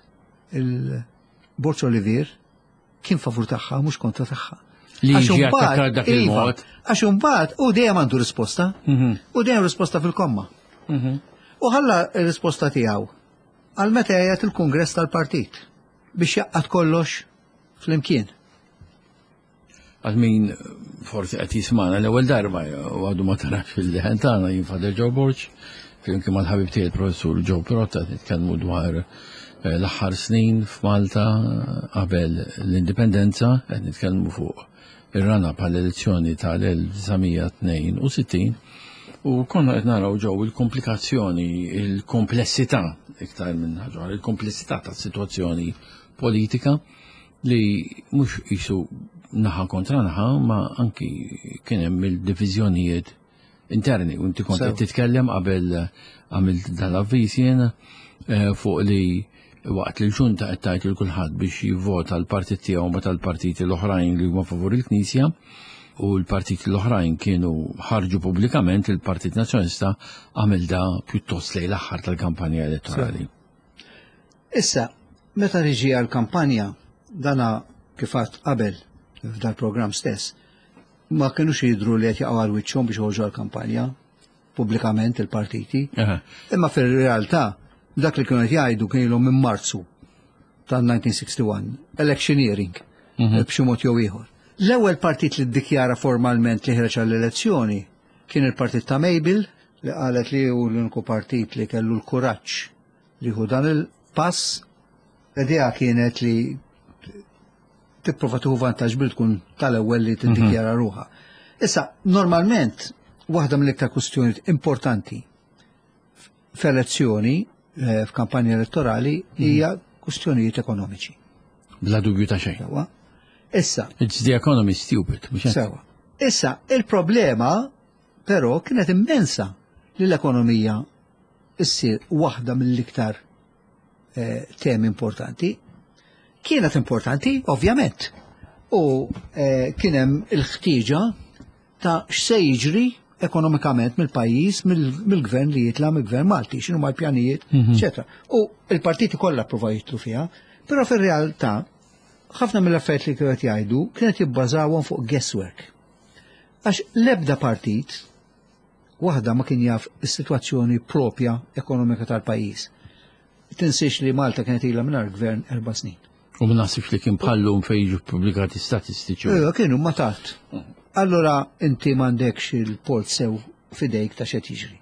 il-Borg Olivier kien favur tagħha mhux kontra tagħha.
Li
Għax
jiġi
imbagħad-
attakkat dak
iva,
il-mod.
Għax imbagħad u dejjem għandu risposta. U dejjem risposta fil-komma. U ħalla r-risposta tiegħu għal meta jgħid il-Kungress tal-Partit biex jaqgħad kollox flimkien.
Għal min forsi qed jismana l-ewwel darba u għadu ma tarax il-leħen tagħna, jien Father Joe Borg, flimkien mal-ħabib tiegħi il-professur Joe Pirotta nitkellmu dwar eh, l-aħħar snin f'Malta qabel l-indipendenza, qed nitkellmu fuq ir-run-up għall-elezzjoni tal-elf disa' mija tnejn u sittin u konna qed naraw ġew il-komplikazzjoni, il-komplessità iktar minn ħaġa, il-komplessità tas-sitwazzjoni politika li mhux qisu naħa kontra naħa, ma anki kien hemm il-diviżjonijiet interni. U inti kont
Sew.
qed titkellem qabel għamilt dal-avviż jiena eh, fuq li waqt li l-ġunta qed tgħid lil kulħadd biex jivvota l-partit tiegħu ma tal-partiti l-oħrajn li huma favur il-Knisja, u l-partiti l-oħrajn kienu ħarġu pubblikament, il-Partit Nazzjonalista għamel da pjuttost lejn l-aħħar tal-kampanja elettorali.
Issa, meta riġi għal-kampanja, dana kif għedt qabel f'dal program stess, ma kienux jidru li qed jaqgħu għal wiċċhom biex joħorġu għal-kampanja pubblikament il-partiti.
Aha.
Imma fil-realtà, dak li kienu qed jgħidu kien ilhom minn Marzu tal-elf disa' mija wieħed u sittin, electioneering, b'xi mod jew ieħor. L-ewwel partit li ddikjara formalment li ħreġ għall-elezzjoni kien il-partit ta' Mabel, li qalet li hu l-uniku partit li kellu l-kuraġġ li hu dan il-pass. L-idea kienet li tipprova tieħu vantaġġ bil tkun tal-ewwel li tiddikjara ruħha. Issa, normalment, waħda mill-iktar kwistjonijiet importanti f'elezzjoni, eh, f'kampanja elettorali, hija kwistjonijiet ekonomiċi.
Bla dubju ta' xejn.
Sewa. Issa,
It's the economy, stupid. Mhux hekk?
Sewa. Issa, il-problema però kienet immensa li l-ekonomija issir waħda mill-iktar eh, temi importanti. Kienet importanti, ovvjament. U eh, kien hemm il-ħtieġa ta' x'se jiġri ekonomikament mill-pajjiż, mill- mill-gvern li jitla' mill-gvern Malti, x'inhu l-pjanijiet, eċetera. U il-partiti kollha ppruvaw jidħlu fiha, però fir-realtà ħafna mill-affarijiet li kienu qed jgħidu kienet jibbażawhom fuq guesswork. Għax l-ebda partit waħda ma kien jaf is-sitwazzjoni propja ekonomika tal-pajjiż. Tinsiex li Malta kienet ilha mingħajr gvern erba' snin.
U ma naħsibx li kien bħallum fejn jiġu pubblikati statistiċi.
Ejja, kienu ma tard. Allora inti m'għandekx il-polz sew fidejk ta' x'qed jiġri.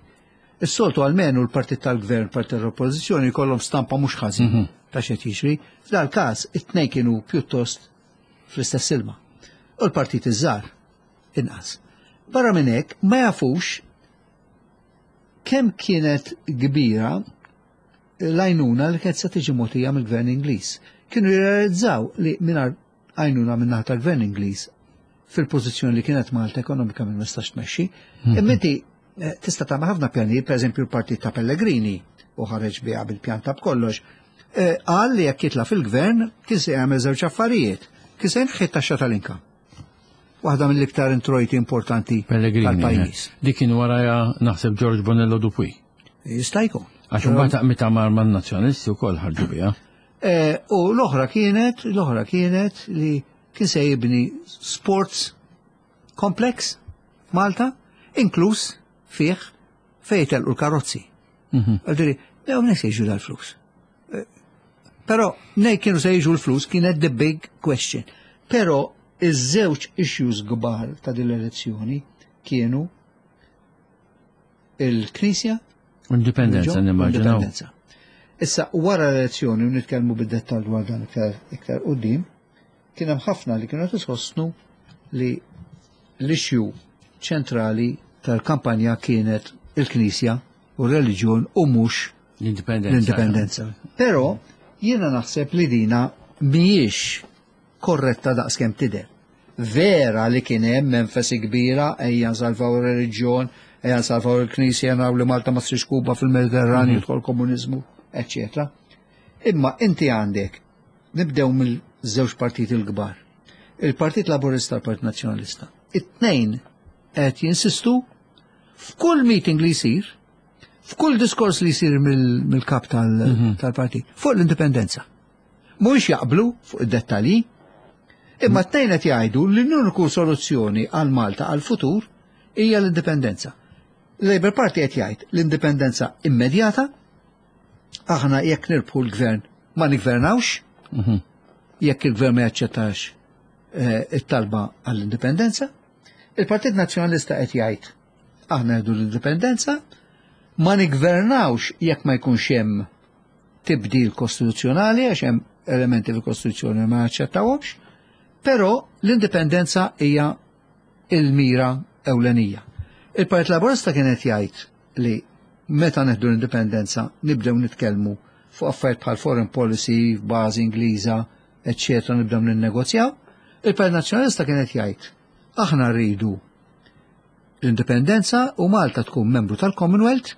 Is-soltu almenu l-partit tal-gvern, l-partit tal-oppożizzjoni jkollhom stampa mhux ħażin ta' x'qed jiġri. F'dal każ it-tnejn kienu pjuttost fl-istess ilma. U l-partit iż-żgħar inqas. Barra minn hekk ma jafux kemm kienet kbira l-għajnuna li kienet se tiġi mogħtija mill-gvern Ingliż. Kienu jirrealizzaw li mingħajr għajnuna minn tal-gvern Ingliż fil-pożizzjoni li kienet Malta ekonomikament ma stax tmexxi. Imma inti eh, tista' tagħmel ħafna pjanijiet, pereżempju l-partit ta' Pellegrini u ħareġ biha bil-pjan ta' b'kollox. eh, Qal li jekk jitla' fil-gvern kien se jagħmel żewġ affarijiet. Kien se jneħħi t-taxxa tal-income. Waħda mill-iktar introjti importanti
Pellegrini.
tal-pajjiż.
eh. Dik kien waraja naħseb George Bonello Dupuy.
Jista' jkun.
Għax imbagħad meta mar man-nazzjonalisti wkoll ħarġu biha.
Eh, U l-oħra kienet, l-oħra kienet li kien se jibni sports complex Malta, inkluż fih fejn telqu l-karozzi. Għaldiri, jew minn se jiġu dal-flus. Eh, Però nej kienu se jiġu l-flus kienet the big question. Però iż-żewġ issues kbar ta' din l-elezzjoni kienu il-Knisja
Indipendenza nimmaġinaw.
Indipendenza. Issa, wara l-elezzjoni, u nitkellmu bid-dettall dwar dan iktar iktar quddiem, kien hemm ħafna li kienu qed isostnu li l-issue ċentrali tal-kampanja kienet il-Knisja u r-reliġjon u mhux
L-indipendenza.
l-indipendenza. Però jiena naħseb li dina mhijiex korretta daqskemm tidher. Vera li kien hemm enfasi kbira ejja nsalvaw ir-reliġjon, ejja nsalvaw il-Knisja, naraw li Malta ma ssirx Kuba fil-Mediterranju, jidħol komuniżmu, eċċetera. Imma inti għandek nibdew mill-żewġ partiti l-kbar. Il-Partit Laburista u l-Partit Nazzjonalista. It-tnejn qed jinsistu f'kull meeting li jsir, f'kull diskors li jsir mill- mill-kap tal- tal-partit, fuq l-indipendenza. Mhux jaqblu fuq id-dettalji, Imma t-tnejn qed jgħidu li l-uniku soluzzjoni għal Malta għal futur hija l-indipendenza. Labour Party qed jgħid l-indipendenza immedjata, aħna jekk nirbħu l-gvern ma nigvernawx,
Mhm.
jekk il-gvern ma jaċċettax eh, it-talba għall-indipendenza. Il-Partit Nazzjonalista qed jgħid aħna rridu l-indipendenza, ma nigvernawx jekk ma jkunx hemm tibdil kostituzzjonali għax hemm elementi fil-Kostituzzjoni ma jaċċettawhomx, però l-indipendenza hija il-mira ewlenija. Il-Partit Laburista kien qed jgħid li meta neħdu l-indipendenza nibdew nitkellmu fuq affarijiet bħal foreign policy, bażi Ingliża, eċċetera, nibdew ninnegozjaw. Il-Partit Nazzjonalista kien qed jgħid aħna rridu l-indipendenza u Malta tkun membru tal-Commonwealth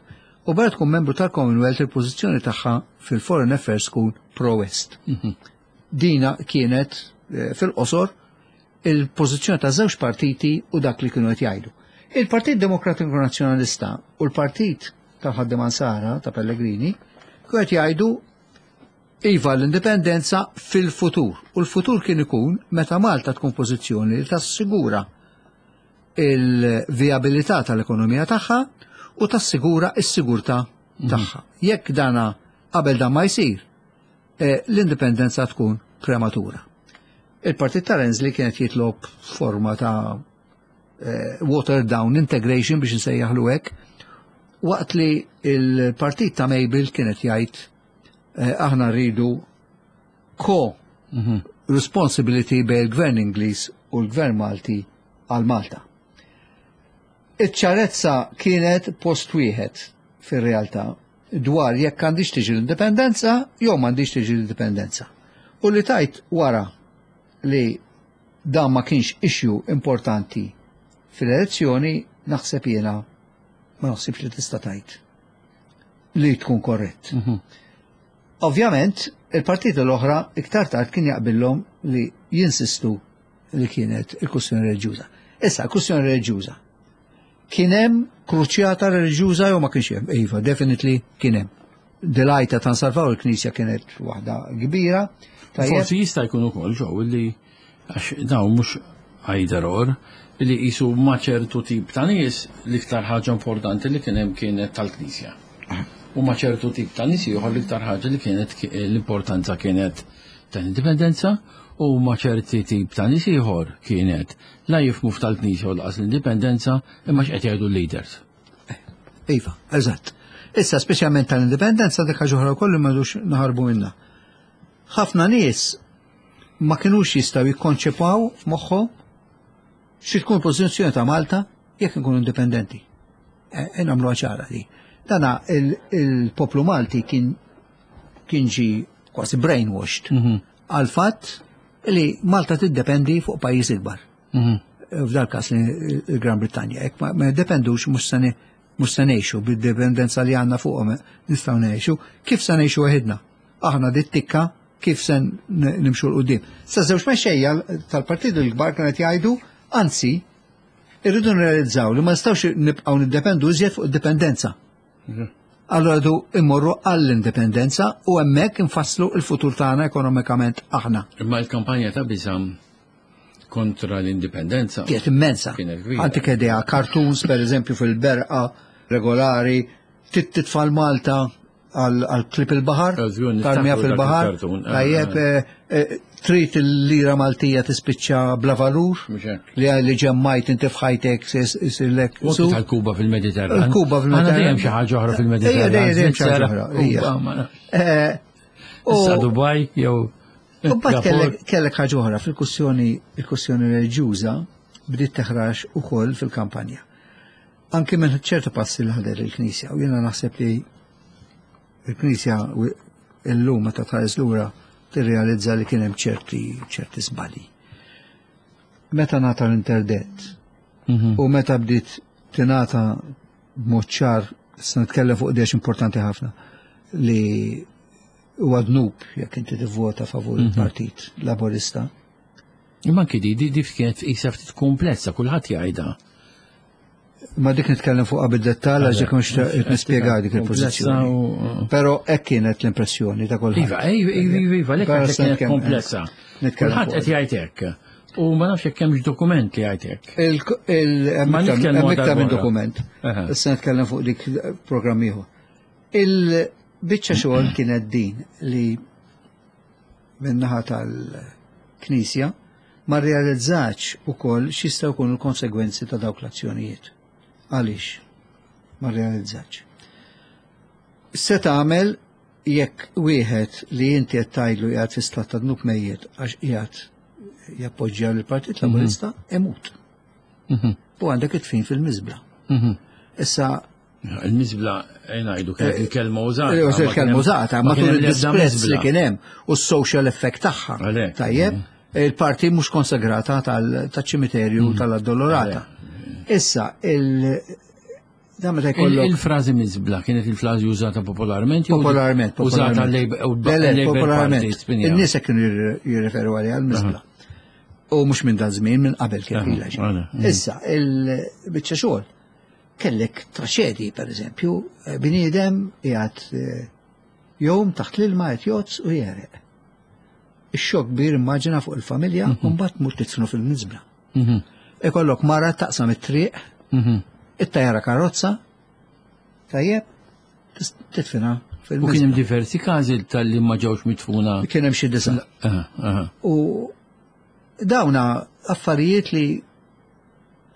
u barra tkun membru tal-Commonwealth, il-pożizzjoni tagħha fil-Foreign Affairs tkun pro-West. Dina kienet eh, fil-qosor il-pożizzjoni ta' żewġ partiti u dak li kienu qed jgħidu. Il-Partit Demokratiku Nazzjonalista u l-Partit tal-Ħaddiema Nsara ta' Pellegrini kienu qed jgħidu iva l-indipendenza fil-futur. U l-futur kien ikun meta Malta tkun pożizzjoni li tassigura il-viabilità tal-ekonomija tagħha u tassigura s-sigurtà tagħha. Jekk dana qabel dan ma jsir, eh, l-indipendenza tkun prematura. Il-Partit ta' Renzi kienet jitlob forma ta' eh, watered down integration, biex nsejjaħlu hekk, waqt li il-partit ta' Mabel kienet jgħid eh, aħna rridu co responsibility bejn il-Gvern Ingliż u l-Gvern Malti għal Malta. Iċ-ċarezza kienet post wieħed fir-realtà dwar jekk għandix tiġi l-indipendenza jew m'għandix tiġi l-indipendenza. U li tajt wara li dan ma kienx issue importanti fil-elezzjoni, naħseb jiena ma naħsibx li tista' tajt li tkun korrett. Ovvjament, il-partiti l-oħra iktar tard kien jaqbillhom li jinsistu li kienet il-kwestjoni reliġjuża. Issa, il-kwestjoni reliġjuża. Kien hemm kruċjata reliġjuża jew ma kienx hemm? Iva, definitely kien hemm. Dilajta ta' nsalvaw il-Knisja kienet waħda kbira. Tajjeb.
Forsi jista' jkun ukoll ġew li għax dawn mhux either or, li jisu ma' ċertu tip ta' nies l-iktar ħaġa importanti li kien hemm kienet tal-Knisja. U ma' ċertu tip ta' nies ieħor l-iktar ħaġa li kienet l-importanza kienet tal-indipendenza u ma' ċerti tip ta' nies ieħor kienet la jifhmu tal-Knisja u lanqas l-indipendenza, imma x'qed jgħidu l-leaders.
Iva, eżatt. Issa, speċjalment tal-indipendenza, dik ħaġa oħra wkoll li m'għadux naħarbu minnha. Ħafna nies ma kinux jistgħu jikkonċepaw f'moħħhom xi tkun pożizzjoni ta' Malta jekk nkunu indipendenti. E, e nagħmlu ċara di. Dana il-poplu Malti kien kien ġi kważi brainwashed għal fatt li Malta tiddependi fuq pajjiż ikbar. F'dal każ il-Gran Brittanja. Jekk ma ma jiddependux, mhux se mhux se ngħixu bid-dipendenza li għandna fuqhom nistgħu ngħixu, kif se ngħixu waħedna? Aħna dit tikka kif se nimxu 'l quddiem? Sa żewġ mexxejja tal-partit il-kbar kienet jgħidu, anzi, irridu nrealizzaw li ma nistgħux nibqgħu niddependu iżjed fuq id-dipendenza. Allora du immorru għall-indipendenza u hemmhekk infasslu il-futur tagħna ekonomikament aħna.
Imma l-kampanja ta' biża' kontra l-indipendenza
kienet immensa.
Kienet kbira.
Antik idea, cartoons per eżempju fil-berqa regolari, titfal Malta għal klip il-bahar,
Żgur, niftakru
tarmija
dak
fil-bahar,
il-cartoon. Ah,
tajjeb, eh, eh, trid il-lira Maltija tispiċċa bla valur,
Mhux hekk.
li li ġemmajt inti f'ħajtek sirlek.
U anki tal-Kuba fil-Mediterran.
Il-Kuba fil-Mediterran.
Għandna dejjem xi ħaġa oħra fil-Mediterran.
Ejja, dejjem dejjem xi ħaġa
Svizzera,
oħra, ejja.
Kuba, ma nafx.
Eh, u-
Issa Dubai jew
U mbagħad
Gapur.
kellek kellek ħaġa oħra fil-kwestjoni il-kwestjoni reliġjuża bdiet teħrax ukoll fil-kampanja. Anki minn ċertu passi li ħadet il-Knisja, u jiena naħseb li il-Knisja u- illum meta tħares lura tirrealizza li kien hemm ċerti ċerti żbalji. Meta ngħata l-interdett
Mhm.
u meta bdiet tingħata b'mod ċar, issa nitkellem fuq dex importanti ħafna, li huwa dnub jekk inti tivvota favur il-Partit Laburista.
Imma anki di, di, di kienet qisha ftit komplessa, kulħadd jgħidha.
Ma dik nitkellem fuq bid-dettall għax dik mhux nispjega dik il-pożizzjoni.
u-
Però hekk kienet l-impressjoni ta' kulħadd.
Iva, iva, iva, iva, lek
Però
għandek
se
kienet
nitkellem-
komplessa.
nitkellem
Kulħadd
fuq
qed jgħid hekk. U ma nafx jekk hemmx dokument li jgħid hekk.
Hemm iktar minn dokument. Issa nitkellem fuq dik programm ieħor. Il-biċċa xogħol kienet din li min-naħa tal-Knisja ma rrealizzax ukoll x'jistgħu jkunu l-konsegwenzi ta' dawk l-azzjonijiet. Għaliex? Ma rrealizzax. Se tagħmel jekk wieħed li inti qed tgħidlu qiegħed fi stat ta' dnub mejjet għax qiegħed jappoġġja lill-Partit Laburista, imut. U għandek it-tfin fil-miżbla. Issa
il-miżbla ngħidu kienet il-kelma użata.
Il-kelma użata, matul il-disprezz li kien hemm u s-social effect tagħha. Tajjeb, il-parti mhux konsagrata tal-ċimiterju tal-Addolorata. Issa, il-
Il-frażi miżbla kienet il-frażi użata popolarment?
Popolarment.
Użata
popolarment. In-nies kienu jirreferu għaliha l-miżbla. U mhux minn dan żmien, minn qabel kien ilha. Issa, il-biċċa xogħol kellek traċedji, per eżempju, bniedem qiegħed jom taħt l-ilma qed jgħodd u jereq. Ix-xokk kbir immaġina fuq il-familja u mbagħad tmur titfnu fil-miżbla. Ikollok mara taqsam it-triq, it-tajara karozza, tajjeb, titfina fil-miżbla.
U kien hemm diversi każi tal-li ma ġewx mitfuna.
Kien hemm xi disa'. U dawna affarijiet li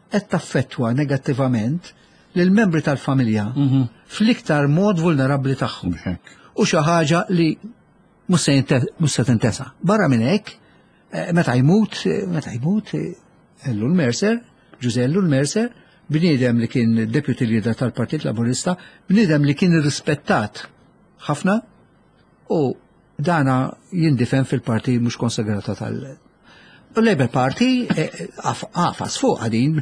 qed taffettwa negattivament lill-membri tal-familja fl-iktar mod vulnerabbli tagħhom. U xi ħaġa li mhux se tintesa. Barra minn hekk, meta jmut, meta jmut Ellul Mercer, Ġużè Ellul Mercer, bniedem li kien deputy leader tal-Partit Laburista, bniedem li kien irrispettat ħafna u dana jindifen fil-parti mhux konsagrata tal- Labour Party għafas fuq għadin,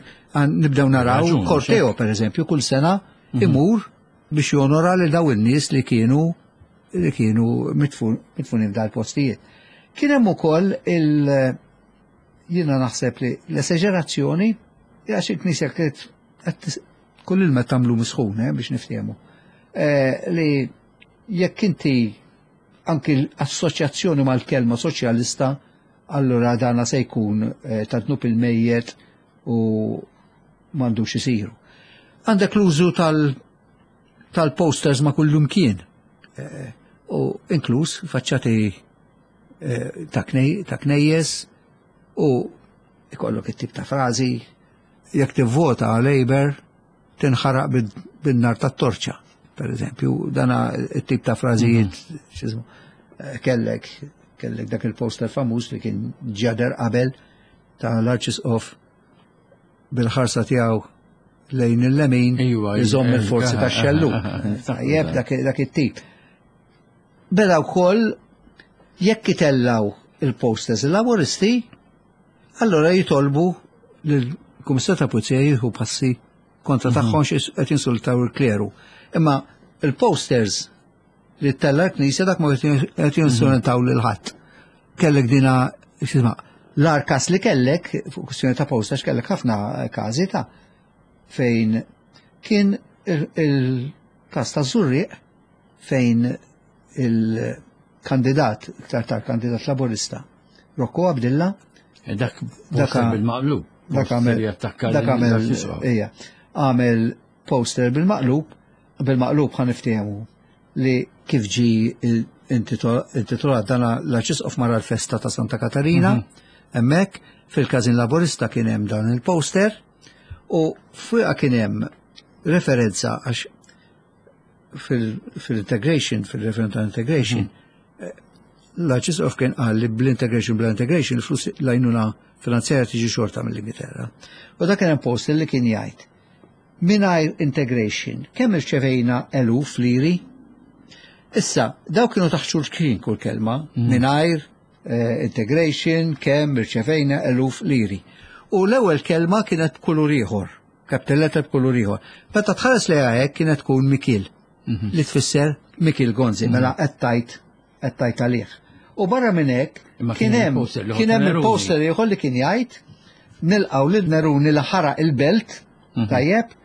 nibdew naraw korteo per eżempju kull sena imur biex jonora li daw in-nies li kienu li kienu mitfunin f'dal postijiet. Kien hemm ukoll il jiena naħseb li l-eseġerazzjoni għax il-Knisja kienet kull ilma tagħmlu misħun biex niftehmu. Li jekk inti anki l-assoċjazzjoni mal-kelma soċjalista, allura dana se jkun ta' dnub il-mejjet u m'għandux isiru. Għandek l-użu tal-posters ma' kullum kien, u inkluż faċċati ta' knejjes u ikollok it-tip ta' frażi jekk tivvota Labour tinħaraq bin-nar tat-torċa, per eżempju, dana it-tip ta' frażijiet kellek kellek dak il-poster famuż li kien ġader qabel ta' l-Arċisqof bil-ħarsa tiegħu lejn il-lemin iżomm il-forzi tax-xellug. Tajjeb dak it-tip. Beda wkoll jekk itellaw il-posters il-Laburisti, allora jitolbu lill-Kummissarju ta' Pulizija jieħu passi kontra tagħhom qed jinsultaw il-kleru. Imma il-posters li tella l-Knisja dak ma qed jinsultaw lil ħadd. Kellek dina x'isma' l-ar każ li kellek fuq kwistjoni ta' posters kellek ħafna każi ta' fejn kien il-każ ta' Żurrieq fejn il-kandidat, iktar tard kandidat Laburista, Rocco Abdilla,
dak bil-maqlub.
Dak għamel dak għamel ejja, għamel poster bil-maqlub, bil-maqlub ħa niftehmu li kif ġi intitolat dana l-Arċisqof mara l-festa ta' Santa Katarina, hemmhekk fil-każin Laburista kien hemm dan il-poster u fuqha kien hemm referenza għax fil-integration, fil-referendum ta' integration, l-Arċisqof kien qal li bl-integration bl-integration il-flus l-għajnuna finanzjarja tiġi xorta mill-Ingilterra. U dak kien hemm poster li kien jgħid mingħajr integration kemm irċevejna eluf liri? Issa, daw kienu taħt xulxin kull kelma, mingħajr integration kemm irċevejna eluf liri. U l-ewwel kelma kienet b'kulur ieħor, capital letter b'kulur ieħor. Meta tħares lejha hekk kienet tkun Mikil, li tfisser Mikil Gonzi, mela qed tajt qed tajt għalih. U barra minn hekk kien hemm kien hemm il-poster ieħor li kien jgħid nilqgħu lil Neruni li ħaraq il-belt, tajjeb,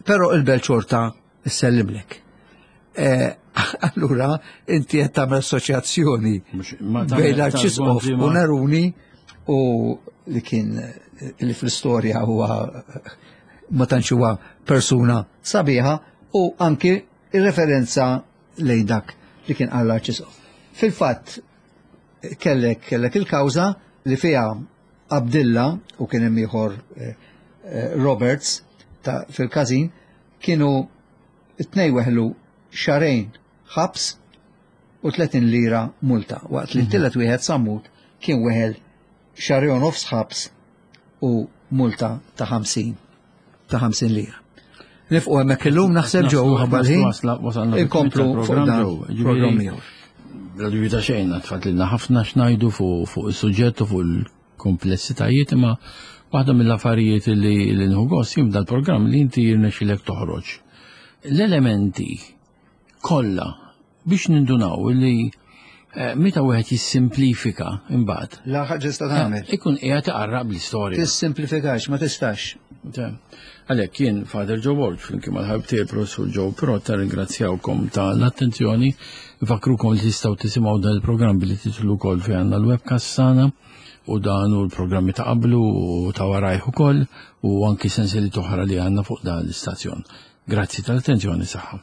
però il-belt xorta issellimlek. Allura inti qed tagħmel assoċjazzjoni bejn l-Arċisqof u Neruni u li kien li fl-istorja huwa ma tantx huwa persuna sabiħa, u anki ir-referenza lejn dak li kien qal l-Arċisqof. Fil-fatt kellek kellek il-kawża li fiha Abdilla u kien hemm ieħor eh, eh, Roberts ta' fil-każin kienu it-tnejn weħlu xahrejn ħabs u tletin lira multa, waqt li t-tielet wieħed, Sammut, kien weħel xahrejn u nofs ħabs u multa ta' ħamsin ta' ħamsin lira. Nieqfu hemmhekk illum naħseb ġew ħabba l-ħin. Inkomplu fuq dan programm ieħor.
Bla dubju ta' xejn, tfadlilna ħafna x'ngħidu fuq fuq is-suġġett u fuq il-komplessitajiet, imma waħda mill-affarijiet li li nieħu gost jien dal-programm li inti jirnexxilek toħroġ l-elementi kollha biex nindunaw li eh, meta wieħed jissimplifika imbagħad
La ħaġa tista' tagħmel.
Ikun qiegħed iqarraq bl-istorja.
Tissimplifikax, ma tistax.
Għalhekk jien Father Joe Borg flimkien mal-ħabib tiegħi Professur Joe Pirotta ringrazzjawkom ta' l-attenzjoni, nfakkrukom li tistgħu tisimgħu dan il-programm billi tidħlu wkoll fi għandna l-webcast tagħna u dan u l-programmi ta' qablu u ta' warajh ukoll u anki sensiliet oħra li għandna fuq dan l-istazzjon. Grazzi tal-attenzjoni, saħħa.